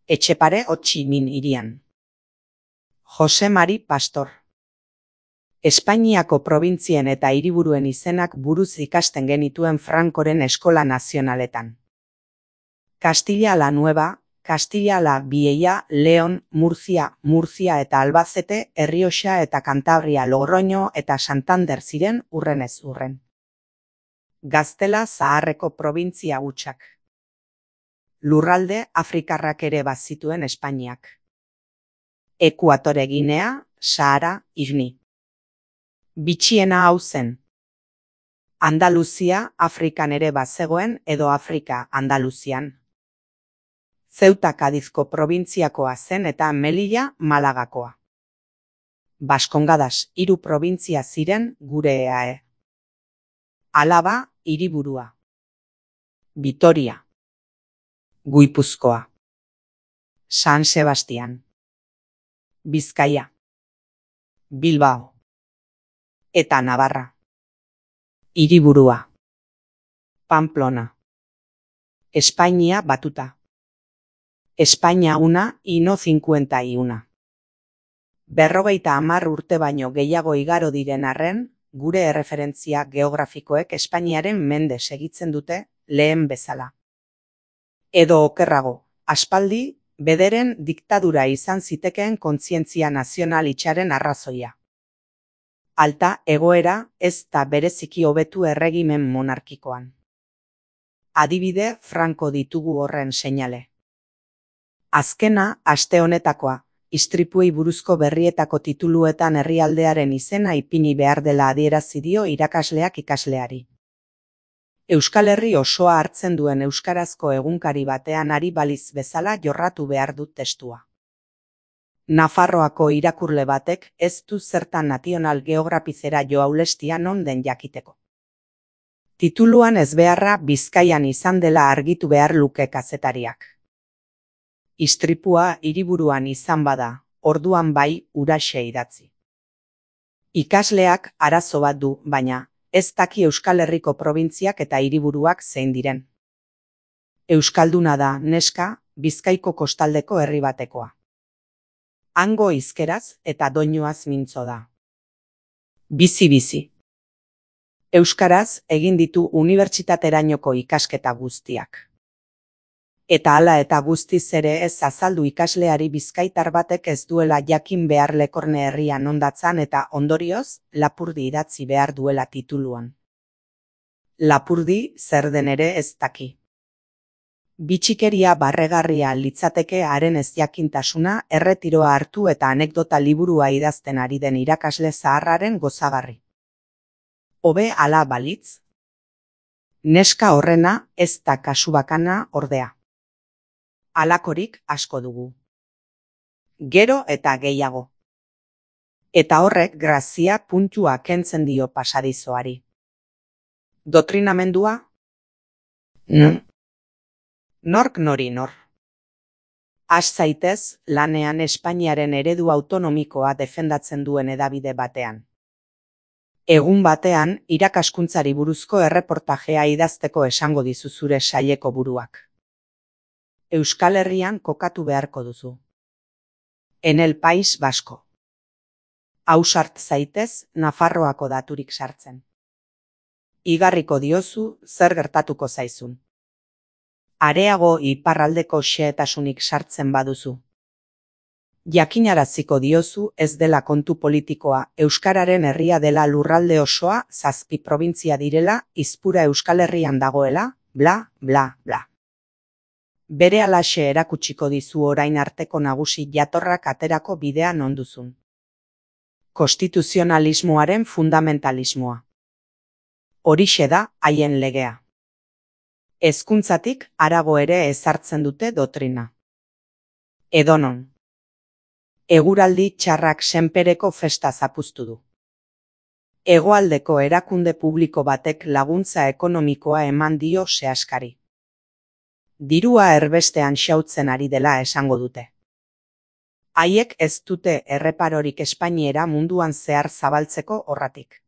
Etxepare Ho Chi Minh hirian. Jose Mari Pastor. Espainiako probintzien eta hiriburuen izenak buruz ikasten genituen Francoren eskola nazionaletan. Castilla la Nueva, Castilla la Vieja, León, Murcia eta Albacete, Errioxa eta Cantabria, Logroño eta Santander ziren urrenez urren. Gaztela zaharreko probintzia hutsak. Lurralde afrikarrak ere bazituen Espainiak. Ekuatore Ginea, Sahara, Igni. Bitxiena hau zen. Andaluzia Afrikan ere bazegoen edo Afrika Andaluzian. Ceuta Kadizko probintziakoa zen eta Melilla Malagakoa. Baskongadas 3 probintzia ziren gure EAE. Alaba hiriburua. Vitoria. Guipuzkoa. San Sebastian. Bizkaia. Bilbao. Eta Navarra. Hiriburua. Pamplona. Espainia batuta. Espainia una y no 51. 50 urte baino gehiago igaro diren arren, gure erreferentzia geografikoek Espainiaren mende segitzen dute lehen bezala. Edo okerrago, aspaldi, bederen diktadura izan zitekeen kontzientzia nazional itxaren arrazoia. Alta egoera ez da bereziki hobetu erregimen monarkikoan. Adibide franko ditugu horren seinale. Azkena, aste honetakoa, istripuei buruzko berrietako tituluetan herrialdearen izena ipini behar dela adierazi dio irakasleak ikasleari. Euskal Herri osoa hartzen duen euskarazko egunkari batean ari baliz bezala jorratu behar dut testua. Nafarroako irakurle batek ez du zertan National Geographicera joaulestia non den jakiteko. Tituluan ezbeharra Bizkaian izan dela argitu behar luke kazetariak. Istripua hiriburuan izan bada, orduan bai huraxe idatzi. Ikasleak arazo bat du, baina ez daki Euskal Herriko probintziak eta hiriburuak zein diren. Euskalduna da, neska, Bizkaiko kostaldeko herri batekoa. Hango hizkeraz eta doinuaz mintzo da. Bizi-bizi. Euskaraz egin ditu unibertsitaterainoko ikasketa guztiak. Eta hala eta guztiz ere ez azaldu ikasleari bizkaitar batek ez duela jakin behar Lekorne herrian ondatzan eta ondorioz, Lapurdi idatzi behar duela tituluan. Lapurdi zer den ere ez daki. Bitxikeria barregarria litzateke haren ezjakintasuna erretiroa hartu eta anekdota liburua idazten ari den irakasle zaharraren gozagarri. Hobe hala balitz? Neska horrena ez da kasu bakana ordea. Halakorik asko dugu. Gero eta gehiago. Eta horrek grazia puntua kentzen dio pasadizoari. Doktrinamendua? Nork nori nor. Has zaitez lanean Espainiaren eredu autonomikoa defendatzen duen hedabide batean. Egun batean irakaskuntzari buruzko erreportajea idazteko esango dizu zure saileko buruak. Euskal Herrian kokatu beharko duzu. En el País Vasco. Ausart zaitez Nafarroako daturik sartzen. Igarriko diozu zer gertatuko zaizun. Areago iparraldeko xehetasunik sartzen baduzu. Jakinaraziko diozu ez dela kontu politikoa, euskararen herria dela lurralde osoa, 7 probintzia direla, izpura Euskal Herrian dagoela, bla, bla, bla. Bere alaxe erakutsiko dizu orain arteko nagusi jatorrak aterako bidea non duzun. Konstituzionalismoaren fundamentalismoa. Horixe da haien legea. Hezkuntzatik harago ere ezartzen dute doktrina. Edonon. Eguraldi txarrak senpereko festa zapuztu du. Hegoaldeko erakunde publiko batek laguntza ekonomikoa eman dio sehaskari. Dirua erbestean xautzen ari dela esango dute. Haiek ez dute erreparorik Espainiera munduan zehar zabaltzeko horratik.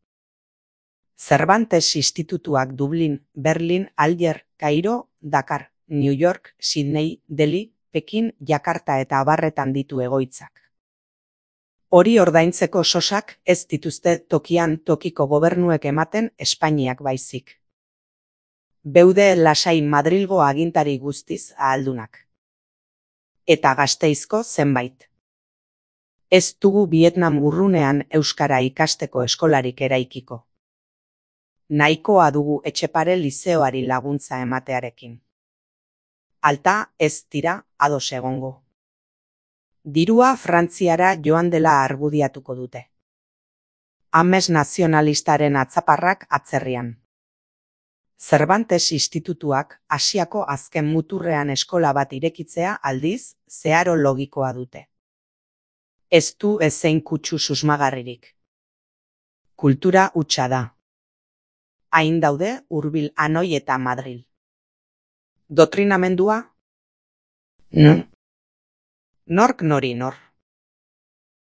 Cervantes institutuak Dublin, Berlin, Alger, Kairo, Dakar, New York, Sydney, Delhi, Pekin, Jakarta eta abarretan ditu egoitzak. Hori ordaintzeko sosak ez dituzte tokian tokiko gobernuek ematen Espainiak baizik. Beude lasai Madrilgo agintari guztiz ahaldunak. Eta Gasteizko zenbait. Ez dugu Vietnam urrunean euskara ikasteko eskolarik eraikiko. Nahikoa dugu Etxepare lizeoari laguntza ematearekin. Alta ez dira ados egongo. Dirua Frantziara joan dela argudiatuko dute. Ames nazionalistaren atzaparrak atzerrian. Cervantes Institutuak Asiako azken muturrean eskola bat irekitzea aldiz zeharo logikoa dute. Ez du ezein kutsu susmagarririk. Kultura hutsa da. Hain daude hurbil Hanoi eta Madril. Doktrinamendua? Nork nori nor.